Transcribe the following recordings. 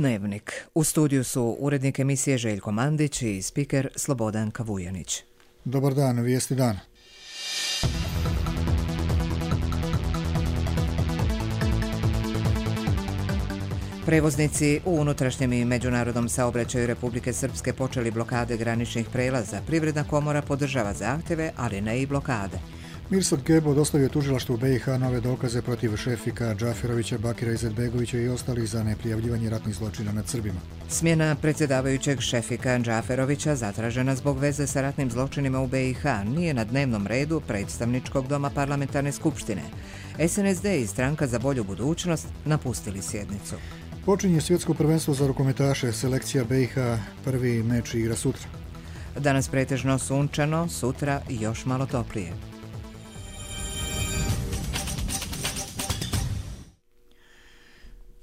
Dnevnik. U studiju su urednik emisije Željko Mandić i spiker Slobodan Kavujanić. Dobar dan, vijesti dana. Prevoznici u unutrašnjem i međunarodnom saobraćaju Republike Srpske počeli blokade graničnih prelaza. Privredna komora podržava zahtjeve, ali ne i blokade. Mirsad Kebo dostavio tužilaštvu BiH nove dokaze protiv Šefika Džaferovića, Bakira Izetbegovića i ostalih za neprijavljivanje ratnih zločina nad Srbima. Smjena predsjedavajućeg Šefika Džaferovića, zatražena zbog veze sa ratnim zločinima u BiH, nije na dnevnom redu predstavničkog doma parlamentarne skupštine. SNSD i Stranka za bolju budućnost napustili sjednicu. Počinje svjetsko prvenstvo za rukometaše, selekcija BiH, prvi meč igra sutra. Danas pretežno sunčano, sutra još malo toplije.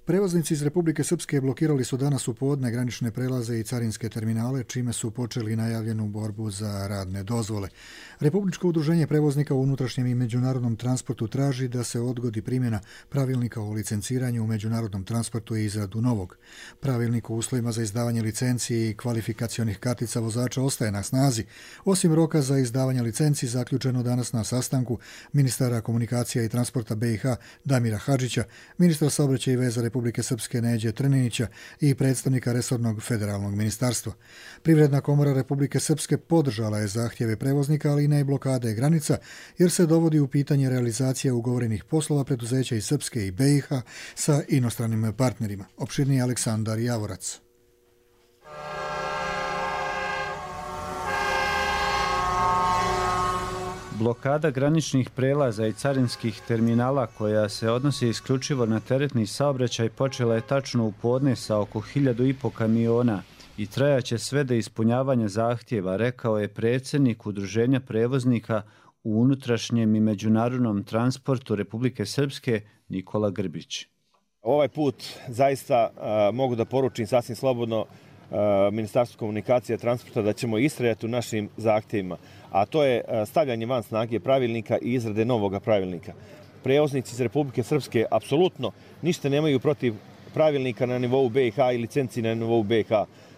Prevoznici iz Republike Srpske blokirali su danas u podne granične prelaze i carinske terminale, čime su počeli najavljenu borbu za radne dozvole. Republičko udruženje prevoznika u unutrašnjem i međunarodnom transportu traži da se odgodi primjena pravilnika o licenciranju u međunarodnom transportu i izradu novog. Pravilnik o uslovima za izdavanje licenci i kvalifikacionih kartica vozača ostaje na snazi, osim roka za izdavanje licenci zaključeno danas na sastanku ministara komunikacija i transporta BiH Damira Hadžića, ministra saobraćaja i veza Republike Srpske Neđe Trninića i predstavnika resornog federalnog ministarstva. Privredna komora Republike Srpske podržala je zahtjeve prevoznika, ali i ne blokade granica, jer se dovodi u pitanje realizacija ugovorenih poslova preduzeća iz Srpske i BiH sa inostranim partnerima. Opširniji Aleksandar Javorac. Blokada graničnih prelaza i carinskih terminala koja se odnosi isključivo na teretni saobraćaj počela je tačno u podne sa oko 1.500 kamiona i trajaće sve do ispunjavanja zahtjeva, rekao je predsjednik Udruženja prevoznika u unutrašnjem i međunarodnom transportu Republike Srpske Nikola Grbić. Ovaj put zaista mogu da poručim sasvim slobodno Ministarstvu komunikacije i transporta da ćemo istrajati u našim zahtjevima, a to je stavljanje van snage pravilnika i izrade novog pravilnika. Prevoznici iz Republike Srpske apsolutno ništa nemaju protiv pravilnika na nivou BiH i licenci na nivou BiH,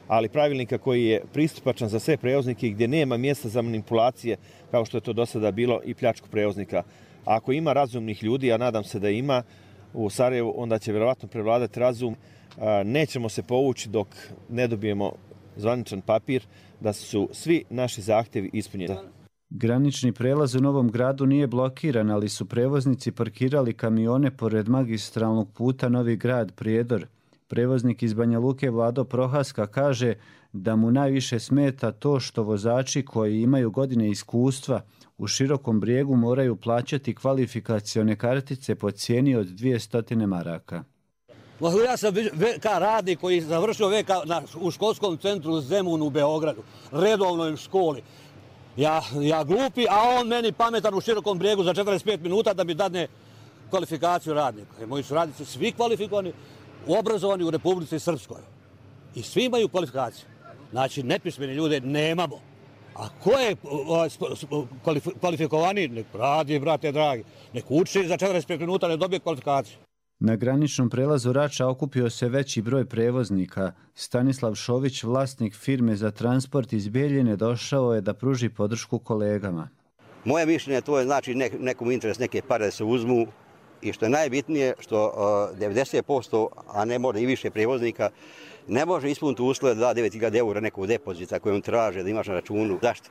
ali pravilnika koji je pristupačan za sve prevoznike gdje nema mjesta za manipulacije kao što je to do sada bilo i pljačku prevoznika. Ako ima razumnih ljudi, a nadam se da ima u Sarajevu, onda će vjerovatno prevladati razum. Nećemo se povući dok ne dobijemo zvaničan papir da su svi naši zahtjevi ispunjeni. Granični prelaz u Novom Gradu nije blokiran, ali su prevoznici parkirali kamione pored magistralnog puta Novi Grad Prijedor. Prevoznik iz Banja Luke Vlado Prohaska kaže da mu najviše smeta to što vozači koji imaju godine iskustva u Širokom Brijegu moraju plaćati kvalifikacione kartice po cijeni od 200 maraka. Ja sam VK radnik koji je završio VK u školskom centru Zemun u Beogradu, redovnoj školi. Ja glupi, a on meni pametan u Širokom Brijegu za 45 minuta da mi dadne kvalifikaciju radnika. Moji su radnici svi kvalifikovani, obrazovani u Republici Srpskoj. I svi imaju kvalifikaciju. Znači, nepismeni ljude nemamo. A ko je kvalifikovani? Nek radi, brate dragi. Nek uči za 45 minuta, ne dobije kvalifikaciju. Na graničnom prelazu Rača okupio se veći broj prevoznika. Stanislav Šović, vlasnik firme za transport iz Bijeljine, došao je da pruži podršku kolegama. Moje mišljenje to je znači nekom interes, neke pare da se uzmu i što je najbitnije što 90%, a ne može i više prevoznika, ne može ispuniti uslove da da 9.000 eura nekog depozita koji on traže da imaš na računu. Zašto?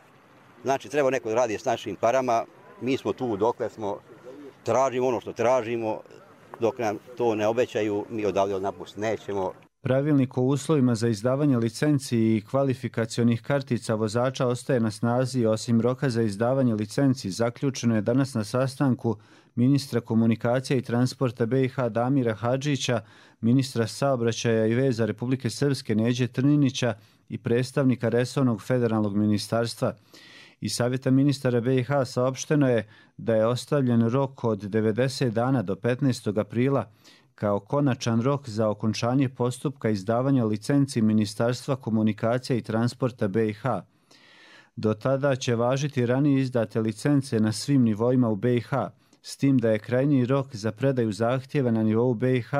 Znači treba neko da radi s našim parama, mi smo tu dokle smo, tražimo ono što tražimo, dok nam to ne obećaju, mi odavde napustiti nećemo. Pravilnik o uslovima za izdavanje licenci i kvalifikacionih kartica vozača ostaje na snazi, osim roka za izdavanje licenci. Zaključeno je danas na sastanku ministra komunikacija i transporta BiH Damira Hadžića, ministra saobraćaja i veza Republike Srpske Neđe Trninića i predstavnika resornog federalnog ministarstva. Iz Savjeta ministara BiH saopšteno je da je ostavljen rok od 90 dana do 15. aprila kao konačan rok za okončanje postupka izdavanja licenci Ministarstva komunikacija i transporta BiH. Do tada će važiti ranije izdate licence na svim nivoima u BiH, s tim da je krajnji rok za predaju zahtjeva na nivou BiH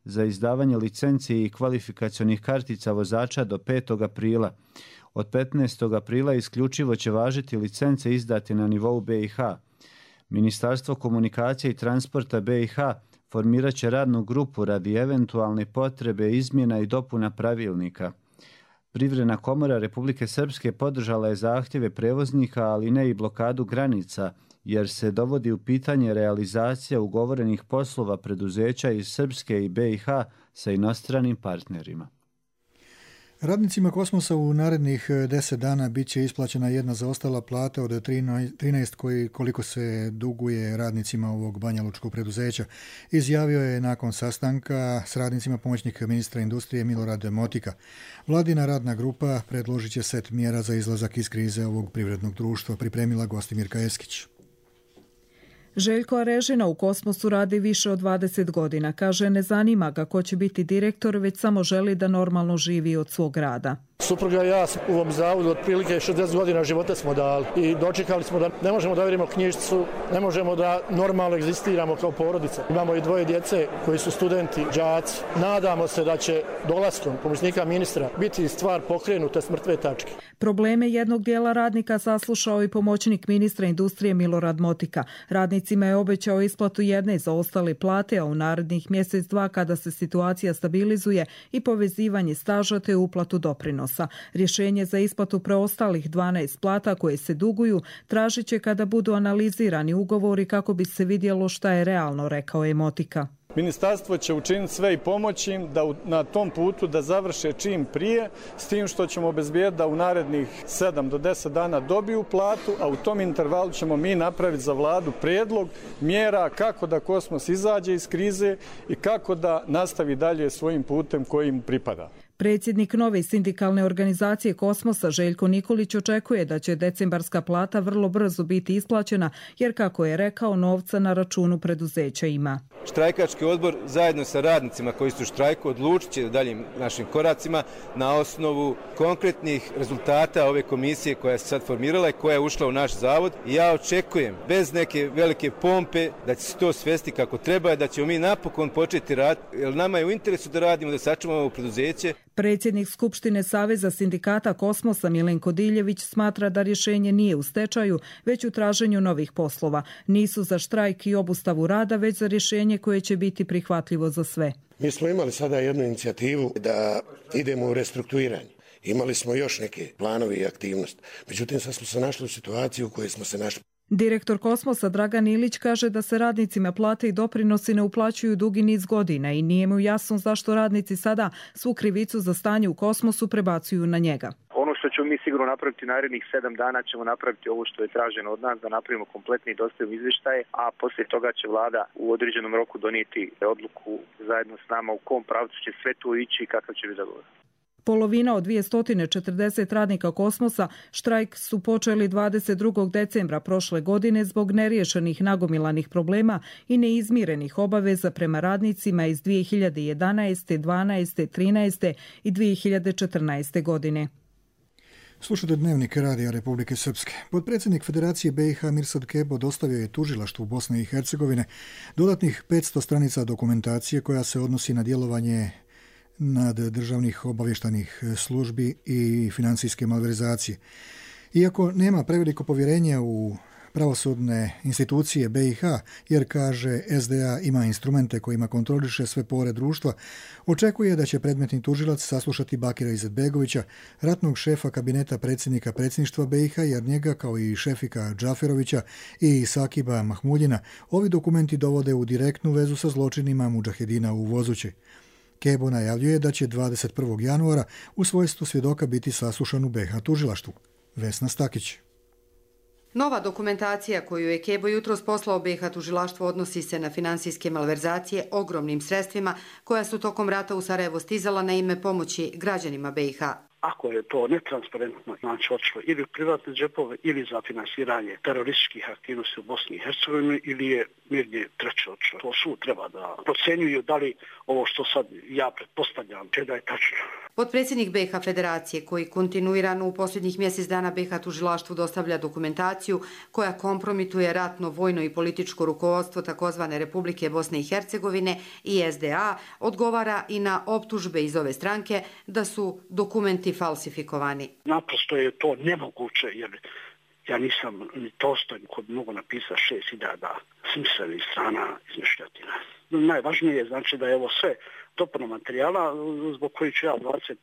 za izdavanje licenci i kvalifikacionih kartica vozača do 5. aprila. Od 15. aprila isključivo će važiti licence izdate na nivou BiH. Ministarstvo komunikacije i transporta BiH formirat će radnu grupu radi eventualne potrebe izmjena i dopuna pravilnika. Privredna komora Republike Srpske podržala je zahtjeve prevoznika, ali ne i blokadu granica, jer se dovodi u pitanje realizacija ugovorenih poslova preduzeća iz Srpske i BiH sa inostranim partnerima. Radnicima Kosmosa u narednih 10 dana bit će isplaćena jedna zaostala plata od 13 koliko se duguje radnicima ovog banjalučkog preduzeća. Izjavio je nakon sastanka s radnicima pomoćnik ministra industrije Milorad Motika. Vladina radna grupa predložit će set mjera za izlazak iz krize ovog privrednog društva, pripremila Gostimirka Eskić. Željko Arežina u Kosmosu radi više od 20 godina. Kaže, ne zanima ga ko će biti direktor, već samo želi da normalno živi od svog rada. Supruga i ja u ovom zavodu otprilike 60 godina života smo dali i dočekali smo da ne možemo da verimo knjižicu, ne možemo da normalno egzistiramo kao porodica. Imamo i 2 djece koji su studenti, đaci. Nadamo se da će dolaskom pomoćnika ministra biti stvar pokrenuta s mrtve tačke. Probleme jednog dijela radnika saslušao i pomoćnik ministra industrije Milorad Motika. Radnicima je obećao isplatu jedne zaostale plate, a u narednih mjesec dva kada se situacija stabilizuje i povezivanje staža te uplatu doprinosa. Rješenje za isplatu preostalih 12 plata koje se duguju tražit će kada budu analizirani ugovori kako bi se vidjelo šta je realno, rekao je Motika. Ministarstvo će učiniti sve i pomoći im da na tom putu da završe čim prije, s tim što ćemo obezbijeti da u narednih 7 do 10 dana dobiju platu, a u tom intervalu ćemo mi napraviti za vladu prijedlog mjera kako da Kosmos izađe iz krize i kako da nastavi dalje svojim putem koji im pripada. Predsjednik nove sindikalne organizacije Kosmosa Željko Nikolić očekuje da će decembarska plata vrlo brzo biti isplaćena, jer kako je rekao, novca na računu preduzeća ima. Štrajkački odbor zajedno sa radnicima koji su u štrajku odlučit će daljim našim koracima na osnovu konkretnih rezultata ove komisije koja se sad formirala i koja je ušla u naš zavod. I ja očekujem bez neke velike pompe da će se to svesti kako treba i da ćemo mi napokon početi raditi, jer nama je u interesu da radimo, da sačuvamo ovo preduzeće. Predsjednik Skupštine Saveza sindikata Kosmosa Milenko Diljević smatra da rješenje nije u stečaju, već u traženju novih poslova. Nisu za štrajk i obustavu rada, već za rješenje koje će biti prihvatljivo za sve. Mi smo imali sada jednu inicijativu da idemo u restrukturiranje. Imali smo još neke planovi i aktivnosti. Međutim, sad smo se našli u situaciju u kojoj smo se našli. Direktor Kosmosa Dragan Ilić kaže da se radnicima plate i doprinosi ne uplaćuju dugi niz godina i nije mu jasno zašto radnici sada svu krivicu za stanje u Kosmosu prebacuju na njega. Ono što ćemo mi sigurno napraviti narednih 7 dana ćemo napraviti ovo što je traženo od nas, da napravimo kompletni i dostavimo izvještaje, a poslije toga će vlada u određenom roku donijeti odluku zajedno s nama u kom pravcu će sve to ići i kakav će biti dogovor. Polovina od 240 radnika Kosmosa štrajk su počeli 22. decembra prošle godine zbog neriješenih nagomilanih problema i neizmirenih obaveza prema radnicima iz 2011., 12., 13. i 2014. godine. Slušajte Dnevnik Radija Republike Srpske. Potpredsjednik Federacije BiH Mirsad Kebo dostavio je tužilaštvu Bosne i Hercegovine dodatnih 500 stranica dokumentacije koja se odnosi na djelovanje nad državnih obavještajnih službi i financijske malverzacije. Iako nema preveliko povjerenje u pravosudne institucije BiH, jer kaže SDA ima instrumente kojima kontroliše sve pore društva, očekuje da će predmetni tužilac saslušati Bakira Izetbegovića, ratnog šefa kabineta predsjednika predsjedništva BiH, jer njega kao i šefika Džaferovića i Sakiba Mahmuljina ovi dokumenti dovode u direktnu vezu sa zločinima mudžahedina u Vozući. Kebo najavljuje da će 21. januara u svojstvu svjedoka biti saslušan u BiH tužilaštvu. Vesna Stakić. Nova dokumentacija koju je Kebo jutros poslao BiH tužilaštvu odnosi se na finansijske malverzacije ogromnim sredstvima koja su tokom rata u Sarajevo stizala na ime pomoći građanima BiH. Ako je to netransparentno, znači otišlo ili u privatne džepove ili za finansiranje terorističkih aktivnosti u Bosni i Hercegovini ili je negdje treće otišlo. To sud treba da procenjuju da li ovo što sad ja pretpostavljam da je tačno. Potpredsjednik BiH Federacije, koji kontinuirano u posljednjih mjesec dana BiH tužilaštvu dostavlja dokumentaciju koja kompromituje ratno, vojno i političko rukovodstvo takozvane Republike Bosne i Hercegovine i SDA, odgovara i na optužbe iz ove stranke da su dokumenti falsifikovani. Naprosto je to nemoguće, jer ja nisam ni Tolstoj koji bi mogu napisati 6.000 smislenih strana izmišljotina. Najvažnije je znači da je ovo sve dopuna materijala zbog koji ću ja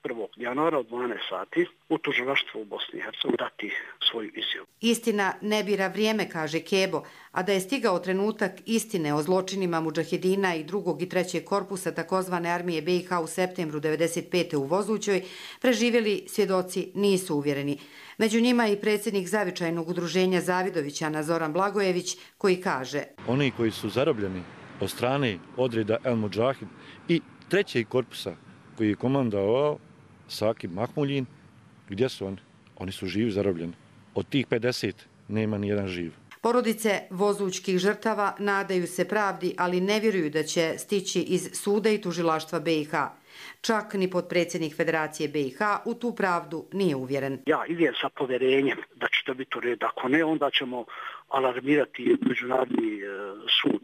21. januara od 12 sati u tužilaštvu u Bosni i Hercegovini dati svoju izjavu. Istina ne bira vrijeme, kaže Kebo, a da je stigao trenutak istine o zločinima mudžahedina i 2. i 3. korpusa takozvane armije BiH u septembru 1995. u Vozućoj, preživjeli svjedoci nisu uvjereni. Među njima i predsjednik zavičajnog udruženja Zavidovićana Zoran Blagojević, koji kaže: Oni koji su zarobljeni od strane odreda El Mudžahid i 3. korpusa koji je komandovao Sakib Mahmuljin, gdje su oni? Oni su živi zarobljeni. Od tih 50 nema ni jedan živ. Porodice vozućkih žrtava nadaju se pravdi, ali ne vjeruju da će stići iz suda i tužilaštva BiH. Čak ni potpredsjednik Federacije BiH u tu pravdu nije uvjeren. Ja idem sa povjerenjem da će to biti u redu. Ako ne, onda ćemo alarmirati Međunarodni sud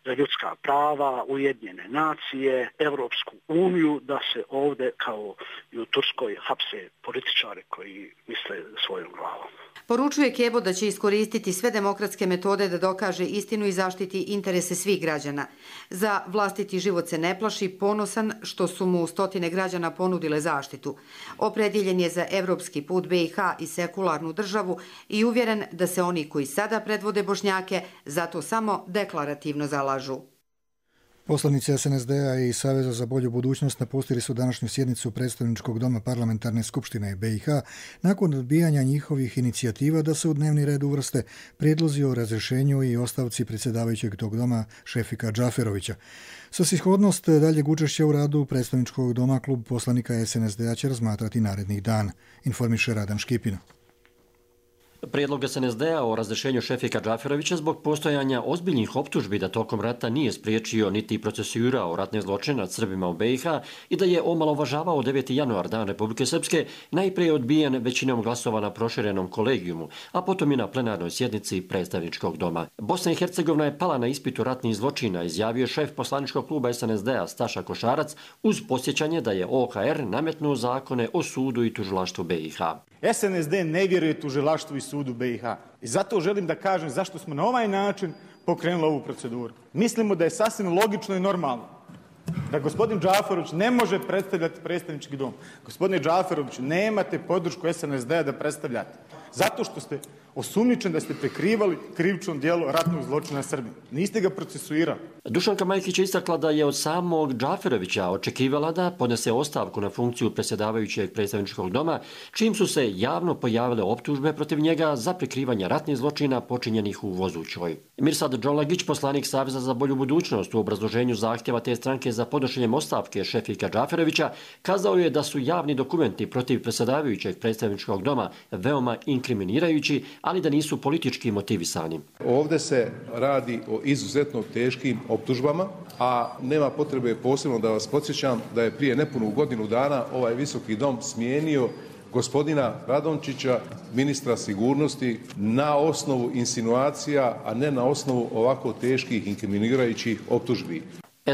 za ljudska prava, Ujedinjene nacije, Evropsku uniju, da se ovdje kao i u Turskoj hapse političare koji misle svojom glavom. Poručuje Kebo da će iskoristiti sve demokratske metode da dokaže istinu i zaštiti interese svih građana. Za vlastiti život se ne plaši, ponosan što su mu stotine građana ponudile zaštitu. Opredjeljen je za evropski put BiH i sekularnu državu i uvjeren da se oni koji sada predvode Bošnjake zato samo deklarativno zalažu. Poslanici SNSD-a i Saveza za bolju budućnost napustili su današnju sjednicu predstavničkog doma parlamentarne skupštine BiH nakon odbijanja njihovih inicijativa da se u dnevni red uvrste prijedlozi o razrješenju i ostavci predsjedavajućeg tog doma Šefika Džaferovića. Svrsishodnost daljeg učešća u radu predstavničkog doma klub poslanika SNSD-a će razmatrati narednih dana, informiše Radan Škipina. Prijedlog SNSD-a o razrješenju Šefika Džaferovića zbog postojanja ozbiljnih optužbi da tokom rata nije spriječio niti procesuirao ratne zločine nad Srbima u BiH i da je omalovažavao 9. januar, dan Republike Srpske, najprije odbijen većinom glasova na proširenom kolegijumu, a potom i na plenarnoj sjednici predstavničkog doma. Bosna i Hercegovina je pala na ispitu ratnih zločina, izjavio šef poslaničkog kluba SNSD-a Staša Košarac uz podsjećanje da je OHR nametnuo zakone o sudu i tužilaštvu BiH. SNSD ne vjeruje tužilaštvu i sudu BiH. I zato želim da kažem zašto smo na ovaj način pokrenuli ovu proceduru. Mislimo da je sasvim logično i normalno da gospodin Džaferović ne može predstavljati predstavnički dom. Gospodine Džaferović, nemate podršku SNSD-a da predstavljate. Zato što ste osumnjičeni da ste prekrivali krivično djelo ratnog zločina Srbije. Niste ga procesuirali. Dušanka Majkić je istakla da je od samog Džaferovića očekivala da podnese ostavku na funkciju predsjedavajućeg predstavničkog doma, čim su se javno pojavile optužbe protiv njega za prikrivanje ratnih zločina počinjenih u Vozućoj. Mirsad Džolagić, poslanik Saveza za bolju budućnost, u obrazloženju zahtjeva te stranke za podnošenjem ostavke Šefika Džaferovića, kazao je da su javni dokumenti protiv predsjedavajućeg predstavničkog doma veoma inkriminirajući, ali da nisu politički motivisani. Ovdje se radi o izuzetno teškim optužbama, a nema potrebe posebno da vas podsjećam da je prije nepunu godinu dana ovaj visoki dom smijenio gospodina Radončića, ministra sigurnosti, na osnovu insinuacija, a ne na osnovu ovako teških inkriminirajućih optužbi.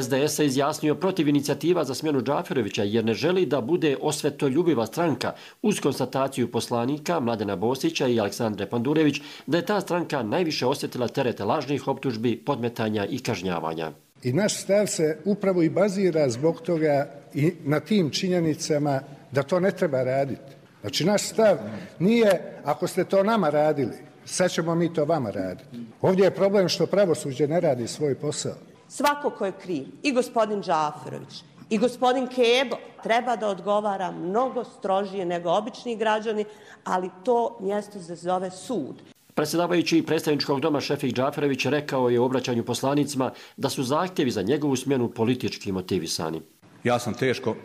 SDS se izjasnio protiv inicijativa za smjenu Džaferovića jer ne želi da bude osvetoljubiva stranka uz konstataciju poslanika Mladena Bosića i Aleksandre Pandurević da je ta stranka najviše osjetila terete lažnih optužbi, podmetanja i kažnjavanja. I naš stav se upravo i bazira zbog toga i na tim činjenicama da to ne treba raditi. Znači naš stav nije ako ste to nama radili, sad ćemo mi to vama raditi. Ovdje je problem što pravosuđe ne radi svoj posao. Svako ko je kriv, i gospodin Džaferović, i gospodin Kebo, treba da odgovara mnogo strožije nego obični građani, ali to mjesto se zove sud. Predsjedavajući predstavničkog doma Šefik Džaferović rekao je u obraćanju poslanicima da su zahtjevi za njegovu smjenu politički motivisani. Ja sam teško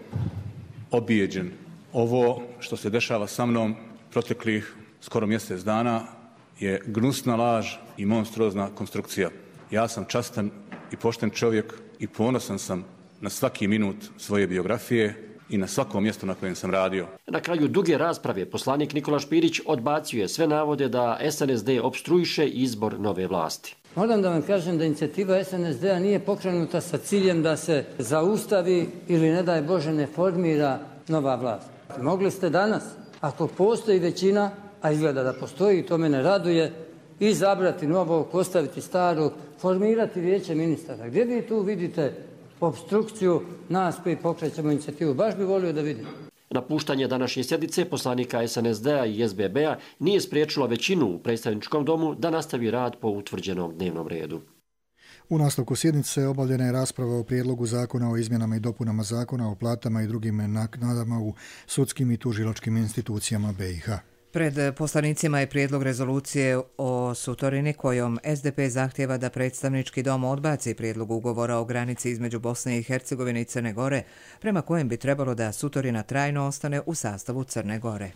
obijeđen. Ovo što se dešava sa mnom proteklih skoro mjesec dana je gnusna laž i monstruozna konstrukcija. Ja sam častan i pošten čovjek i ponosan sam na svaki minut svoje biografije. i na svakom mjestu na kojem sam radio. Na kraju duge rasprave poslanik Nikola Špirić odbacio sve navode da SNSD opstruiše izbor nove vlasti. Moram da vam kažem da inicijativa SNSD-a nije pokrenuta sa ciljem da se zaustavi ili ne daj Bože ne formira nova vlast. Mogli ste danas, ako postoji većina, a izgleda da postoji i to mene raduje, izabrati novog, ostaviti starog, formirati vijeće ministara. Gdje vi tu vidite opstrukciju nas koji pokrećemo inicijativu? Baš bi volio da vidim. Napuštanje današnje sjednice poslanika SNSD-a i SBB-a nije spriječilo većinu u predstavničkom domu da nastavi rad po utvrđenom dnevnom redu. U nastavku sjednice obavljena je rasprava o prijedlogu zakona o izmjenama i dopunama zakona o platama i drugim naknadama u sudskim i tužilačkim institucijama BiH. Pred poslanicima je prijedlog rezolucije o sutorini kojom SDP zahtjeva da predstavnički dom odbaci prijedlog ugovora o granici između Bosne i Hercegovine i Crne Gore, prema kojem bi trebalo da sutorina trajno ostane u sastavu Crne Gore.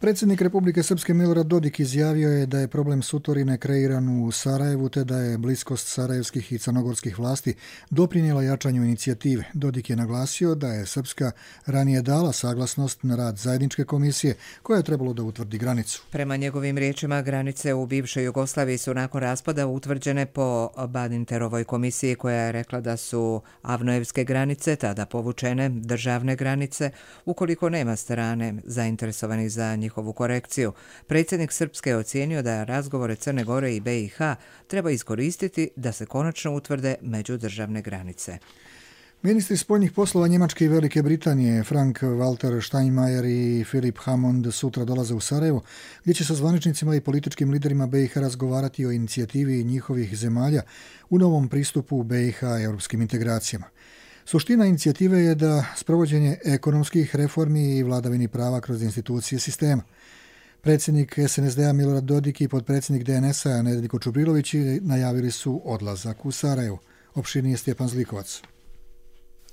Predsjednik Republike Srpske Milorad Dodik izjavio je da je problem sutorine kreiran u Sarajevu te da je bliskost sarajevskih i crnogorskih vlasti doprinijela jačanju inicijative. Dodik je naglasio da je Srpska ranije dala saglasnost na rad zajedničke komisije koja je trebalo da utvrdi granicu. Prema njegovim riječima, granice u bivšoj Jugoslaviji su nakon raspada utvrđene po Badinterovoj komisiji koja je rekla da su Avnojevske granice tada povučene državne granice ukoliko nema strane zainteresovanih za njihovu korekciju. Predsjednik Srpske je ocijenio da razgovore Crne Gore i BiH treba iskoristiti da se konačno utvrde međudržavne granice. Ministri spoljnih poslova Njemačke i Velike Britanije Frank-Walter Steinmeier i Philip Hammond sutra dolaze u Sarajevo, gdje će sa zvaničnicima i političkim liderima BiH razgovarati o inicijativi njihovih zemalja u novom pristupu BiH europskim integracijama. Suština inicijative je da sprovođenje ekonomskih reformi i vladavini prava kroz institucije sistema. Predsjednik SNSD-a Milorad Dodik i potpredsjednik DNS-a Nedeljko Čubrilović najavili su odlazak u Sarajevo. Opširnije Stjepan Zlikovac.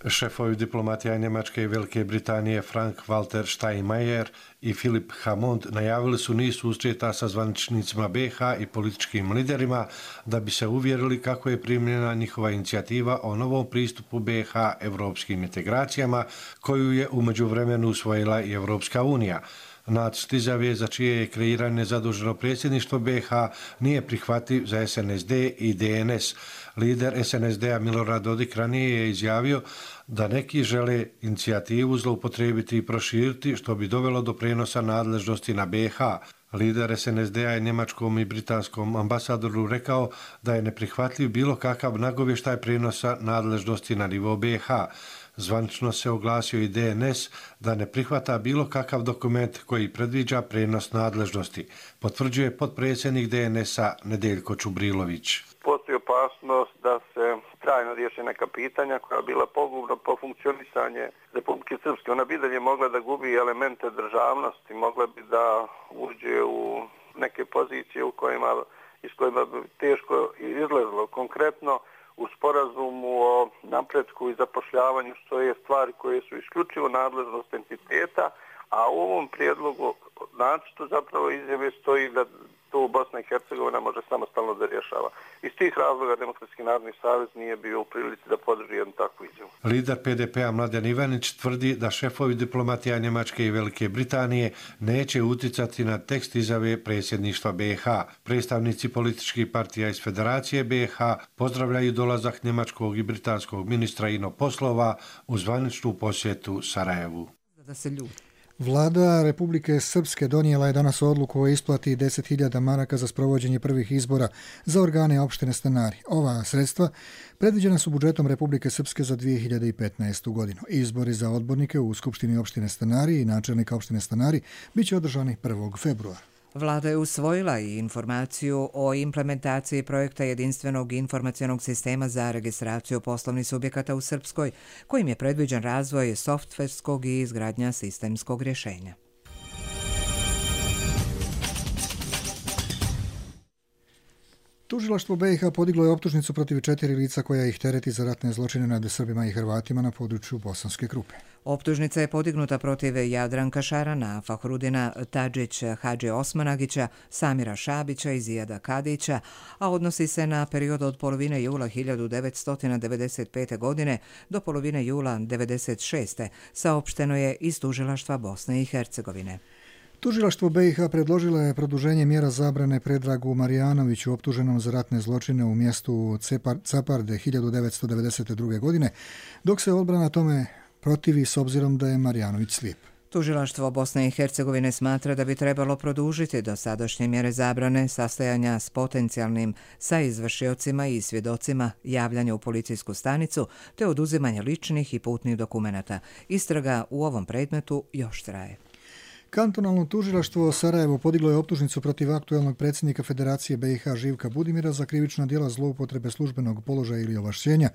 Šefovi diplomatija Njemačke i Velike Britanije Frank-Walter Steinmeier i Philip Hammond najavili su niz susreta sa zvaničnicima BiH i političkim liderima da bi se uvjerili kako je primljena njihova inicijativa o novom pristupu BiH evropskim integracijama koju je u međuvremenu usvojila i Evropska unija. Nacrt izjave za čije je kreiranje zaduženo predsjedništvo BiH nije prihvatljiv za SNSD i DNS. Lider SNSD-a Milorad Dodik ranije je izjavio da neki žele inicijativu zloupotrijebiti i proširiti što bi dovelo do prenosa nadležnosti na BiH. Lider SNSD-a je njemačkom i britanskom ambasadoru rekao da je neprihvatljiv bilo kakav nagovještaj prenosa nadležnosti na nivo BiH. Zvanično se oglasio i DNS da ne prihvata bilo kakav dokument koji predviđa prenos nadležnosti, potvrđuje potpredsjednik DNS-a Nedeljko Čubrilović. Postoji opasnost da se trajno riješe neka pitanja koja bila pogubna po funkcionisanje Republike Srpske. Ona bi dalje mogla da gubi elemente državnosti, mogla bi da uđe u neke pozicije iz kojima bi teško izlazilo. Konkretno, u sporazumu o napretku i zapošljavanju stoje stvari koje su isključivo nadležnost entiteta, a u ovom prijedlogu nacrtu zapravo izjave stoji da to Bosna i Hercegovina može samostalno da rješava. Iz tih razloga Demokratski narodni savez nije bio u prilici da podrži jednu takvu izjavu. Lider PDP-a Mladen Ivanić tvrdi da šefovi diplomatija Njemačke i Velike Britanije neće uticati na tekst izjave predsjedništva BiH. Predstavnici političkih partija iz Federacije BiH pozdravljaju dolazak njemačkog i britanskog ministra inoposlova u zvaničnu posjetu Sarajevu. Da se ljudi. Vlada Republike Srpske donijela je danas odluku o isplati 10.000 maraka za sprovođenje prvih izbora za organe opštine Stanari. Ova sredstva predviđena su budžetom Republike Srpske za 2015. godinu. Izbori za odbornike u Skupštini opštine Stanari i načelnika opštine Stanari biće održani 1. februara. Vlada je usvojila i informaciju o implementaciji projekta jedinstvenog informacionog sistema za registraciju poslovnih subjekata u Srpskoj, kojim je predviđen razvoj softverskog i izgradnja sistemskog rješenja. Tužilaštvo BiH podiglo je optužnicu protiv 4 lica koja ih tereti za ratne zločine nad Srbima i Hrvatima na području Bosanske Krupe. Optužnica je podignuta protiv Jadranka Šarana, Fahrudina Tadžić, Hadži Osmanagića, Samira Šabića i Zijada Kadića, a odnosi se na period od polovine jula 1995. godine do polovine jula 1996. saopšteno je iz Tužilaštva Bosne i Hercegovine. Tužilaštvo BiH predložilo je produženje mjera zabrane Predragu Marijanoviću optuženom za ratne zločine u mjestu Caparde 1992. godine, dok se odbrana tome protivi s obzirom da je Marijanović slijep. Tužilaštvo Bosne i Hercegovine smatra da bi trebalo produžiti dosadašnje mjere zabrane sastajanja s potencijalnim saizvršiocima i svjedocima, javljanja u policijsku stanicu te oduzimanje ličnih i putnih dokumenata. Istraga u ovom predmetu još traje. Kantonalno tužilaštvo Sarajevo podiglo je optužnicu protiv aktuelnog predsjednika Federacije BiH Živka Budimira za krivična djela zloupotrebe službenog položaja ili ovlašćenja,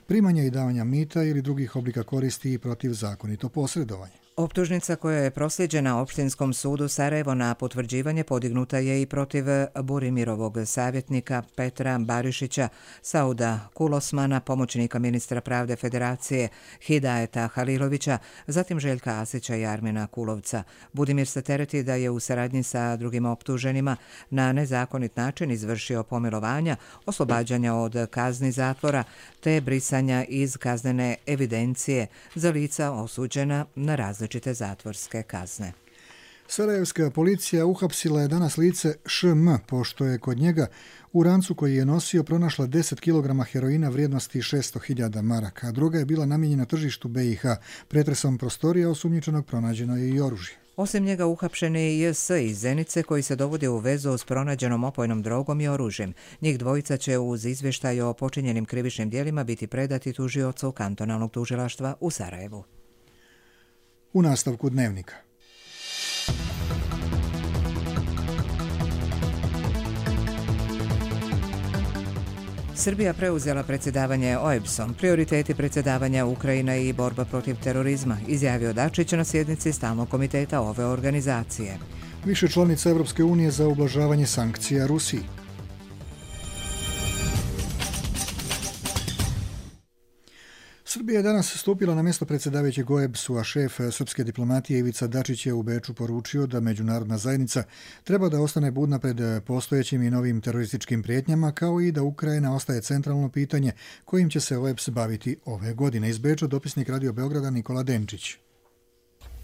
primanja i davanja mita ili drugih oblika koristi i protivzakonito posredovanje. Optužnica koja je prosljeđena Opštinskom sudu Sarajevo na potvrđivanje podignuta je i protiv Burimirovog savjetnika Petra Barišića, Sauda Kulosmana, pomoćnika ministra pravde Federacije Hidajeta Halilovića, zatim Željka Asića i Armina Kulovca. Budimir se tereti da je u saradnji sa drugim optuženima na nezakonit način izvršio pomilovanja, oslobađanja od kazni zatvora te brisanja iz kaznene evidencije za lica osuđena na različite zatvorske kazne. Sarajevska policija uhapsila je danas lice ŠM, pošto je kod njega u rancu koji je nosio pronašla 10 kg heroina vrijednosti 600.000 maraka, a druga je bila namijenjena tržištu BiH. Pretresom prostorija osumnjičenog pronađeno je i oružje. Osim njega uhapšen je i JS iz Zenice koji se dovodi u vezu s pronađenom opojnom drogom i oružjem. Njih dvojica će uz izvještaj o počinjenim krivičnim djelima biti predati tužiocu kantonalnog tužilaštva u Sarajevu. U nastavku dnevnika. Srbija preuzela predsjedavanje OEBS-om, prioriteti predsjedavanja Ukrajina i borba protiv terorizma, izjavio Dačić na sjednici stalnog komiteta ove organizacije. Više članica Evropske unije za ublažavanje sankcija Rusiji. Srbija je danas stupila na mjesto predsjedavajućeg OEBS-u, a šef srpske diplomatije Ivica Dačić je u Beču poručio da međunarodna zajednica treba da ostane budna pred postojećim i novim terorističkim prijetnjama, kao i da Ukrajina ostaje centralno pitanje kojim će se OEBS baviti ove godine. Iz Beča dopisnik Radio Beograda Nikola Denčić.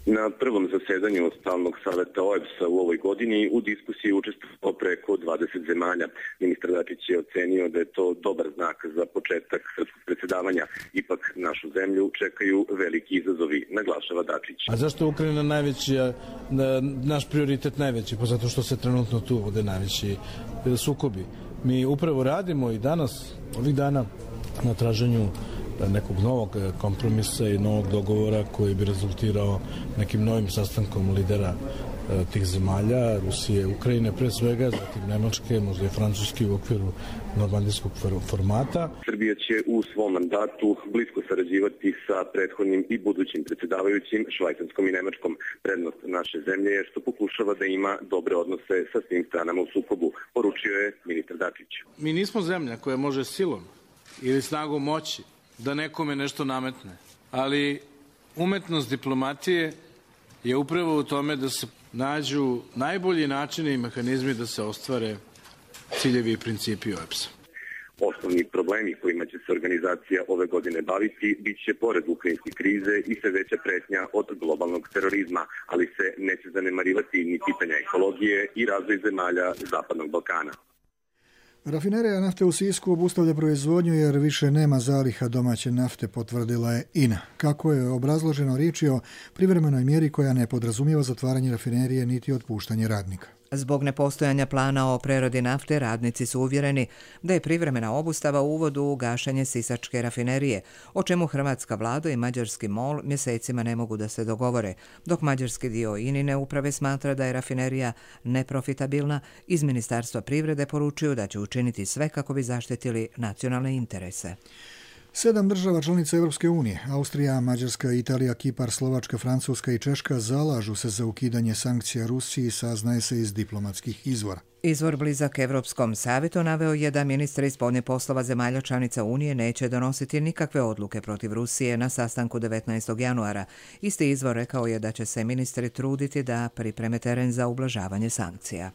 Na prvom zasedanju stalnog saveta OEBS-a u ovoj godini u diskusiji učestvovalo preko 20 zemalja. Ministar Dačić je ocenio da je to dobar znak za početak srpskog predsjedavanja. Ipak našu zemlju čekaju veliki izazovi, naglašava Dačić. A zašto je Ukrajina naš prioritet najveći? Pa zato što se trenutno tu vode najveći sukobi. Mi upravo radimo i danas, ovih dana, na traženju nekog novog kompromisa i novog dogovora koji bi rezultirao nekim novim sastankom lidera tih zemalja, Rusije, Ukrajine pre svega, zatim Nemačke, možda i Francuski u okviru normandijskog formata. Srbija će u svom mandatu blisko sarađivati sa prethodnim i budućim predsjedavajućim Švajcarskom i Nemačkom. Prednost naše zemlje je što pokušava da ima dobre odnose sa svim stranama u sukobu, poručio je ministar Dačić. Mi nismo zemlja koja može silom ili snagom moći da nekome nešto nametne. Ali umetnost diplomatije je upravo u tome da se nađu najbolji načini i mehanizmi da se ostvare ciljevi i principi OEBS-a. Osnovni problemi kojima će se organizacija ove godine baviti bit će pored ukrajinske krize i sve veća pretnja od globalnog terorizma, ali se neće zanemarivati ni pitanja ekologije i razvoj zemalja Zapadnog Balkana. Rafinerija nafte u Sisku obustavlja proizvodnju jer više nema zaliha domaće nafte, potvrdila je INA. Kako je obrazloženo, riječ je o privremenoj mjeri koja ne podrazumijeva zatvaranje rafinerije niti otpuštanje radnika. Zbog nepostojanja plana o preradi nafte, radnici su uvjereni da je privremena obustava uvod u gašenje sisačke rafinerije, o čemu hrvatska vlada i mađarski MOL mjesecima ne mogu da se dogovore, dok mađarski dio INA-ine uprave smatra da je rafinerija neprofitabilna. Iz Ministarstva privrede poručuju da će učiniti sve kako bi zaštitili nacionalne interese. 7 država članica Europske unije, Austrija, Mađarska, Italija, Kipar, Slovačka, Francuska i Češka zalažu se za ukidanje sankcija Rusiji, saznaje se iz diplomatskih izvora. Izvor blizak Evropskom savetu naveo je da ministri spoljnih poslova zemalja članica Unije neće donositi nikakve odluke protiv Rusije na sastanku 19. januara. Isti izvor rekao je da će se ministri truditi da pripreme teren za ublažavanje sankcija.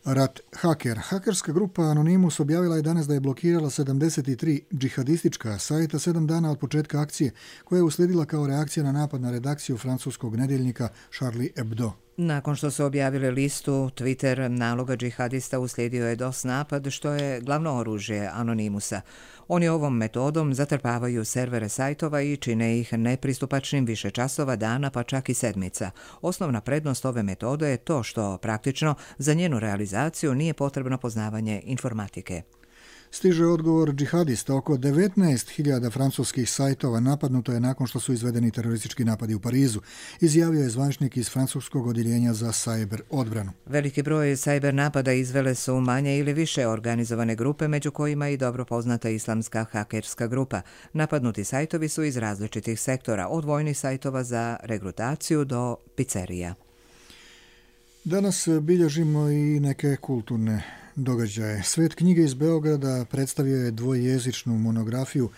Rat Haker. Hakerska grupa Anonymous objavila je danas da je blokirala 73 džihadistička sajta 7 dana od početka akcije, koja je uslijedila kao reakcija na napad na redakciju francuskog nedeljnika Charlie Hebdo. Nakon što su objavili listu Twitter naloga džihadista, uslijedio je DOS napad, što je glavno oružje Anonymousa. Oni ovom metodom zatrpavaju servere sajtova i čine ih nepristupačnim više časova, dana pa čak i sedmica. Osnovna prednost ove metode je to što praktično za njenu realizaciju nije potrebno poznavanje informatike. Stiže odgovor džihadista. Oko 19.000 francuskih sajtova napadnuto je nakon što su izvedeni teroristički napadi u Parizu, izjavio je zvaničnik iz francuskog odjeljenja za sajber odbranu. Veliki broj sajber napada izvele su manje ili više organizovane grupe, među kojima i dobro poznata islamska hakerska grupa. Napadnuti sajtovi su iz različitih sektora, od vojnih sajtova za regrutaciju do pizzerija. Danas bilježimo i neke kulturne događaje. Svet knjige iz Beograda predstavio je dvojezičnu monografiju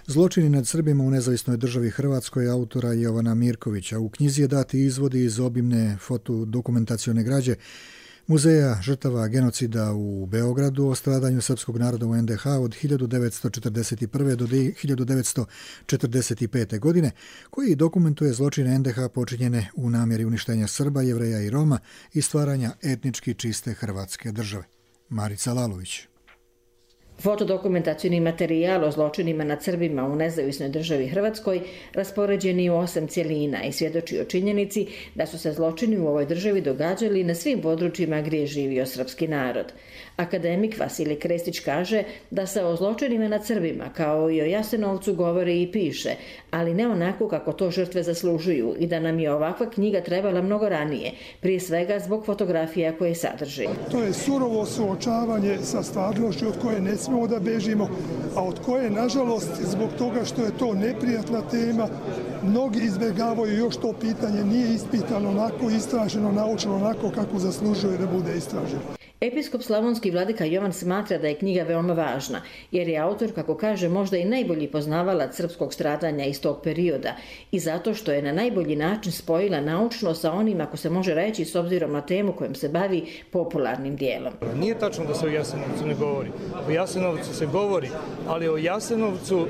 Zločini nad Srbima u nezavisnoj državi Hrvatskoj autora Jovana Mirkovića. U knjizi je dati izvodi iz obimne fotodokumentacione građe Muzeja žrtava genocida u Beogradu o stradanju srpskog naroda u NDH od 1941. do 1945. godine, koji dokumentuje zločine NDH počinjene u namjeri uništenja Srba, Jevreja i Roma i stvaranja etnički čiste Hrvatske države. Marica Lalović. Fotodokumentacijni materijal o zločinima nad Srbima u nezavisnoj državi Hrvatskoj raspoređen je u 8 cjelina i svjedoči o činjenici da su se zločini u ovoj državi događali na svim područjima gdje je živio srpski narod. Akademik Vasilij Krestić kaže da se o zločinima nad Srbima kao i o Jasenovcu govori i piše, ali ne onako kako to žrtve zaslužuju i da nam je ovakva knjiga trebala mnogo ranije, prije svega zbog fotografija koje sadrži. To je surovo suočavanje sa stvarnošću od koje ne smijemo da bežimo, a od koje, nažalost, zbog toga što je to neprijatna tema, mnogi izbjegavaju, još to pitanje nije ispitano onako, istraženo, naučeno onako kako zaslužuje da bude istraženo. Episkop slavonski vladika Jovan smatra da je knjiga veoma važna, jer je autor, kako kaže, možda i najbolji poznavalac srpskog stradanja iz tog perioda i zato što je na najbolji način spojila naučno sa onim, ako se može reći, s obzirom na temu kojom se bavi, popularnim dijelom. Nije tačno da se o Jasenovcu ne govori. O Jasenovcu se govori, ali o Jasenovcu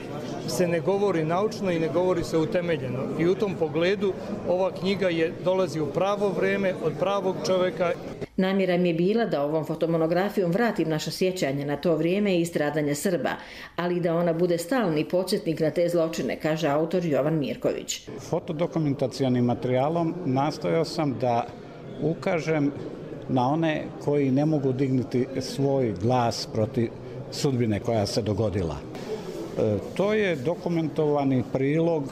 se ne govori naučno i ne govori se utemeljeno. I u tom pogledu ova knjiga dolazi u pravo vreme, od pravog čovjeka. Namjera mi je bila da ovom fotomonografijom vratim naša sjećanja na to vrijeme i stradanje Srba, ali da ona bude stalni podsjetnik na te zločine, kaže autor Jovan Mirković. Fotodokumentacionim materijalom nastojao sam da ukažem na one koji ne mogu dignuti svoj glas protiv sudbine koja se dogodila. To je dokumentovani prilog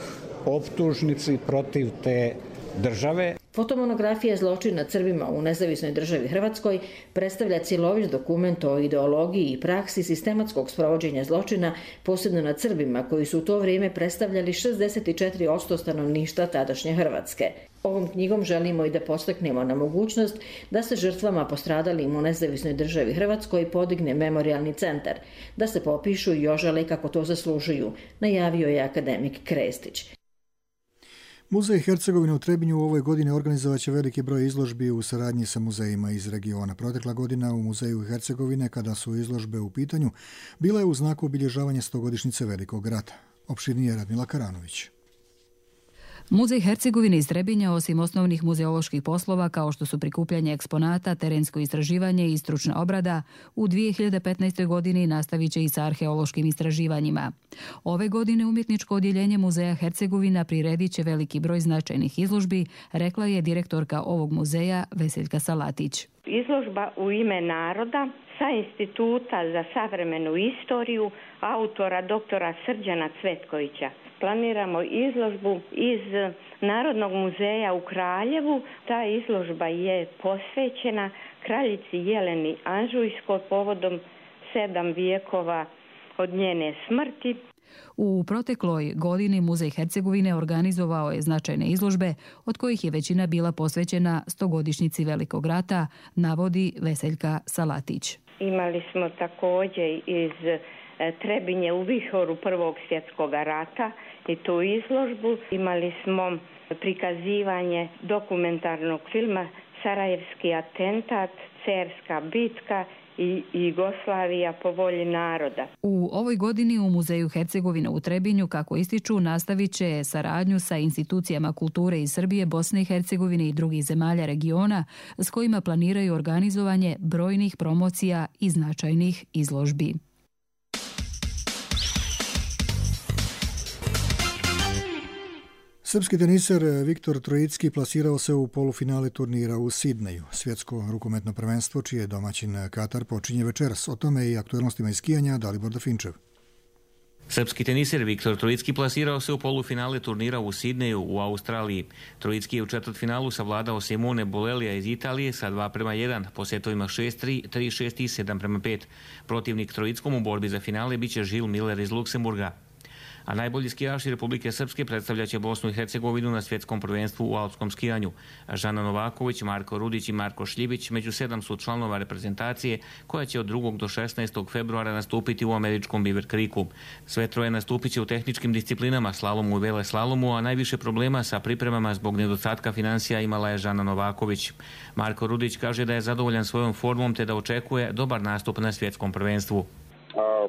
optužnici protiv te države. Fotomonografija Zločin nad Srbima u nezavisnoj državi Hrvatskoj predstavlja cjelovit dokument o ideologiji i praksi sistematskog sprovođenja zločina, posebno nad Srbima, koji su u to vrijeme predstavljali 64% stanovništva tadašnje Hrvatske. Ovom knjigom želimo i da podstaknemo na mogućnost da se žrtvama postradalim u nezavisnoj državi Hrvatskoj podigne memorijalni centar, da se popišu i ožale kako to zaslužuju, najavio je akademik Krestić. Muzej Hercegovine u Trebinju u ovoj godini organizovaće veliki broj izložbi u saradnji sa muzejima iz regiona. Protekla godina u Muzeju Hercegovine, kada su izložbe u pitanju, bila je u znaku obilježavanja 100-godišnjice Velikog rata. Opširnije Radmila Karanović. Muzej Hercegovine iz Trebinja, osim osnovnih muzeoloških poslova kao što su prikupljanje eksponata, terensko istraživanje i stručna obrada, u 2015. godini nastavit će i sa arheološkim istraživanjima. Ove godine umjetničko odjeljenje Muzeja Hercegovina priredit će veliki broj značajnih izložbi, rekla je direktorka ovog muzeja Veseljka Salatić. Izložba U ime naroda sa Instituta za savremenu istoriju autora doktora Srđana Cvetkovića. Planiramo izložbu iz Narodnog muzeja u Kraljevu. Ta izložba je posvećena kraljici Jeleni Anžujskoj povodom 7 vijekova od njene smrti. U protekloj godini Muzej Hercegovine organizovao je značajne izložbe, od kojih je većina bila posvećena 100-godišnjici Velikog rata, navodi Veseljka Salatić. Imali smo također iz Trebinje u vihoru Prvog svjetskog rata i tu izložbu. Imali smo prikazivanje dokumentarnog filma Sarajevski atentat, Cerska bitka i Jugoslavija po volji naroda. U ovoj godini u Muzeju Hercegovine u Trebinju, kako ističu, nastavit će saradnju sa institucijama kulture iz Srbije, Bosne i Hercegovine i drugih zemalja regiona, s kojima planiraju organizovanje brojnih promocija i značajnih izložbi. Srpski teniser Viktor Trojicki plasirao se u polufinale turnira u Sidneju. Svjetsko rukometno prvenstvo, čiji je domaćin Katar, počinje večeras. O tome i aktuelnostima iz skijanja Dalibor Dafinčev. Srpski teniser Viktor Trojicki plasirao se u polufinale turnira u Sidneju u Australiji. Trojicki je u četvrtfinalu savladao Simone Bolelija iz Italije sa 2:1 po setovima 6-3, 3-6 i 7:5. Protivnik Trojickom u borbi za finale biće Žil Miller iz Luksemburga. A najbolji skijaši Republike Srpske predstavljaće Bosnu i Hercegovinu na svjetskom prvenstvu u alpskom skijanju. Žana Novaković, Marko Rudić i Marko Šljivić među 7 su članova reprezentacije koja će od 2. do 16. februara nastupiti u američkom Beaver Creeku. Sve troje nastupit će u tehničkim disciplinama, slalomu i veleslalomu, a najviše problema sa pripremama zbog nedostatka financija imala je Žana Novaković. Marko Rudić kaže da je zadovoljan svojom formom te da očekuje dobar nastup na svjetskom prvenstvu.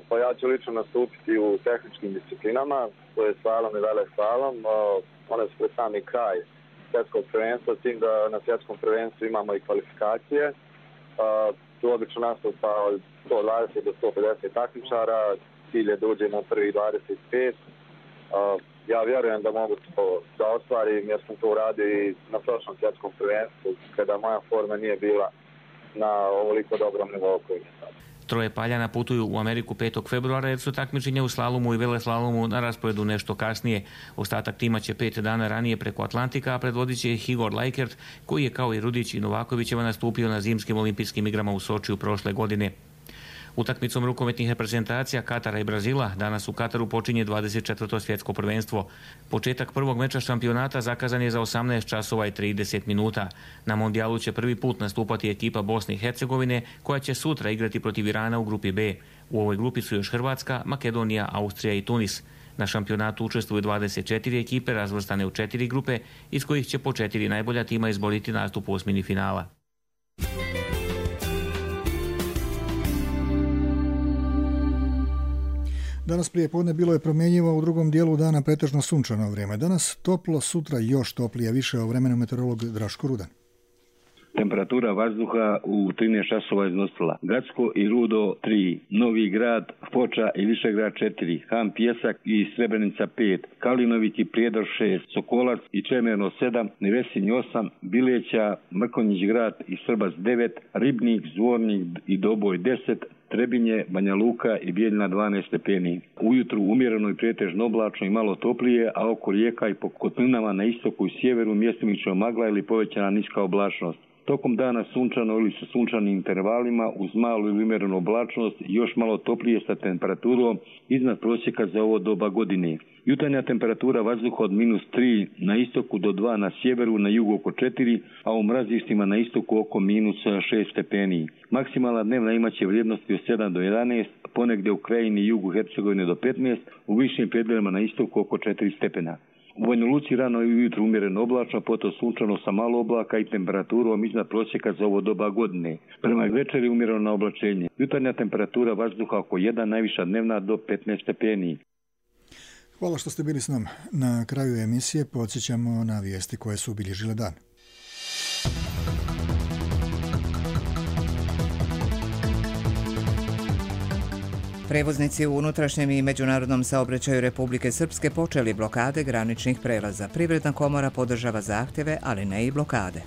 Pa ja ću lično nastupiti u tehničkim disciplinama, to je slalom i veleslalom. One su pred sami kraj svjetskog prvenstva, s tim da na svjetskom prvenstvu imamo i kvalifikacije. Tu obično nastupa od 120 do 150 takmičara, cilj je da uđe na prvih 25. Ja vjerujem da mogu to da ostvarim, jer sam to uradio i na prošlom svjetskom prvenstvu, kada moja forma nije bila na ovoliko dobrom nivou koji je sad. Troje Paljana putuju u Ameriku 5. februara jer su takmičenja u slalomu i veleslalomu na rasporedu nešto kasnije. Ostatak tima će 5 dana ranije preko Atlantika, a predvodit će ih Igor Lajkert, koji je kao i Rudić i Novakovićeva nastupio na zimskim olimpijskim igrama u Sočiju prošle godine. Utakmicom rukometnih reprezentacija Katara i Brazila danas u Kataru počinje 24. svjetsko prvenstvo. Početak prvog meča šampionata zakazan je za 18 časova i 30 minuta. Na mondijalu će prvi put nastupati ekipa Bosne i Hercegovine, koja će sutra igrati protiv Irana u grupi B. U ovoj grupi su još Hrvatska, Makedonija, Austrija i Tunis. Na šampionatu učestvuju 24 ekipe razvrstane u 4 grupe, iz kojih će po 4 najbolja tima izboriti nastup u osmini finala. Danas prije podne bilo je promjenjivo, u drugom dijelu dana pretežno sunčano vrijeme. Danas toplo, sutra još toplije, više o vremenu meteorolog Draško Rudan. Temperatura vazduha u 13 časova iznosila Gradsko i Rudo 3, Novi Grad, Foča i Višegrad 4, Han Pjesak i Srebrenica 5, Kalinovik i Prijedor 6, Sokolac i Čemerno 7, Nevesinj 8, Bileća, Mrkonjić Grad i Srbac 9, Ribnik, Zvornik i Doboj 10, Trebinje, Banja Luka i Bijeljina 12 stepeni. Ujutru umjereno i pretežno oblačno i malo toplije, a oko rijeka i po kotlinama na istoku i sjeveru mjestimično magla ili povećana niska oblačnost. Tokom dana sunčano ili sa sunčanim intervalima uz malu ili umjerenu oblačnost i još malo toplije sa temperaturom iznad prosjeka za ovo doba godine. Jutarnja temperatura vazduha od -3 na istoku do 2 na sjeveru, na jugu oko 4, a u mrazištima na istoku oko -6 stepeni. Maksimalna dnevna imaće vrijednosti od 7 do 11, ponegdje u krajini i jugu Hercegovine do 15, u višim predjelima na istoku oko 4 stepena. U Banja Luci rano i ujutru umjereno oblačno, potom sunčano sa malo oblaka i temperaturom iznad prosjeka za ovo doba godine. Prema večeri umjereno na oblačenje. Jutarnja temperatura vazduha oko 1, najviša dnevna do 15 stepeni. Hvala što ste bili s nama. Na kraju emisije podsjećamo na vijesti koje su obilježile dan. Prevoznici u unutrašnjem i međunarodnom saobraćaju Republike Srpske počeli blokade graničnih prelaza. Privredna komora podržava zahtjeve, ali ne i blokade.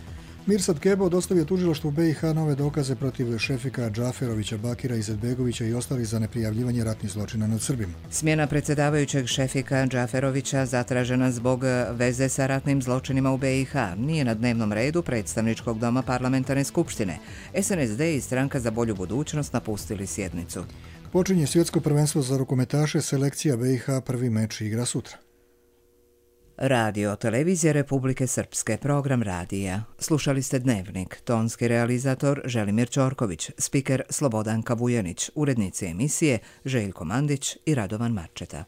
Mirsad Kebo dostavio tužilaštvu BiH nove dokaze protiv Šefika Džaferovića, Bakira Izetbegovića i ostalih za neprijavljivanje ratnih zločina nad Srbima. Smjena predsjedavajućeg Šefika Džaferovića zatražena zbog veze sa ratnim zločinima u BiH nije na dnevnom redu predstavničkog doma parlamentarne skupštine. SNSD i Stranka za bolju budućnost napustili sjednicu. Počinje svjetsko prvenstvo za rukometaše, selekcija BiH prvi meč igra sutra. Radio Televizija Republike Srpske, program radija. Slušali ste Dnevnik, tonski realizator Želimir Ćorković, spiker Slobodanka Vujanić, urednici emisije Željko Mandić i Radovan Marčeta.